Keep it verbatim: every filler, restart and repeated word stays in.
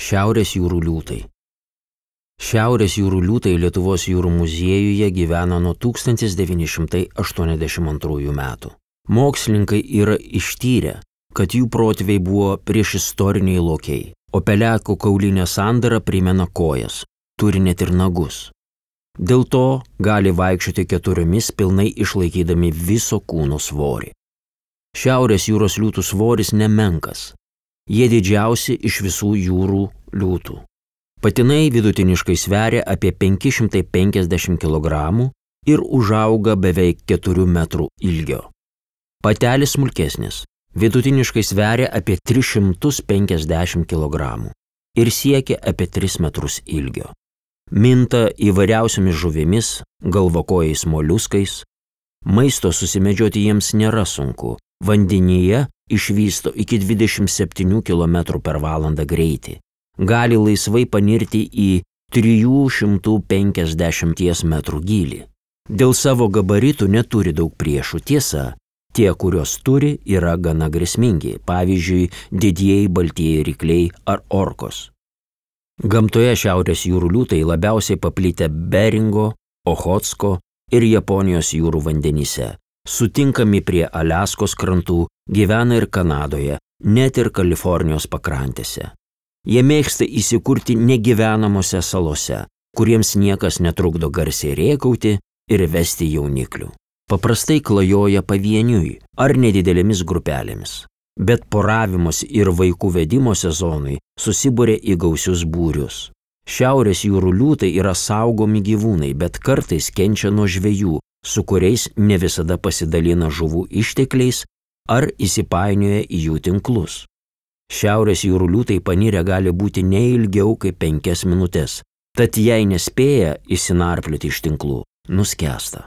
Šiaurės jūrų liūtai. Šiaurės jūrų liūtai Lietuvos jūrų muziejuje gyvena nuo tūkstantis devyni šimtai aštuoniasdešimt antrųjų metų. Mokslininkai yra ištyrę, kad jų protėviai buvo priešistoriniai lokiai, o pelekų kaulinė sandara primena kojas, turi net ir nagus. Dėl to gali vaikščioti keturiomis pilnai išlaikydami viso kūno svorį. Šiaurės jūros liūtų svoris nemenkas. Jie didžiausi iš visų jūrų liūtų. Patinai vidutiniškai sveria apie penki šimtai penkiasdešimt kilogramų ir užauga beveik keturių metrų ilgio. Patelės smulkesnis, vidutiniškai sveria apie tris šimtus penkiasdešimt kilogramų ir siekia apie tris metrus ilgio. Minta įvairiausiomis žuvimis, galvakojais moliuskais. Maisto susimedžioti jiems nėra sunku. Vandenyje išvysto iki dvidešimt septynių kilometrų per valandą greitį. Gali laisvai panirti į trijų šimtų penkiasdešimties metrų gylį. Dėl savo gabaritų neturi daug priešų. Tiesa, tie, kurios turi, yra gana grėsmingi, pavyzdžiui, didieji baltieji rykliai ar orkos. Gamtoje šiaurės jūrų liūtai labiausiai paplitę Beringo, Ochotsko ir Japonijos jūrų vandenyse. Sutinkami prie Aliaskos krantų, gyvena ir Kanadoje, net ir Kalifornijos pakrantėse. Jie mėgsta įsikurti negyvenamose salose, kuriems niekas netrukdo garsiai rėkauti ir vesti jauniklių. Paprastai klajoja pavieniui ar nedidelėmis grupelėmis, bet poravimos ir vaikų vedimo sezonui susibūrė į gausius būrius. Šiaurės jūrų liūtai yra saugomi gyvūnai, bet kartais kenčia nuo žvejų, su kuriais ne visada pasidalina žuvų ištekliais ar įsipainioja į jų tinklus. Šiaurės jūrų liūtai panirę gali būti ne ilgiau kaip penkias minutės, tad jei nespėja išsinarplioti iš tinklų, nuskęsta.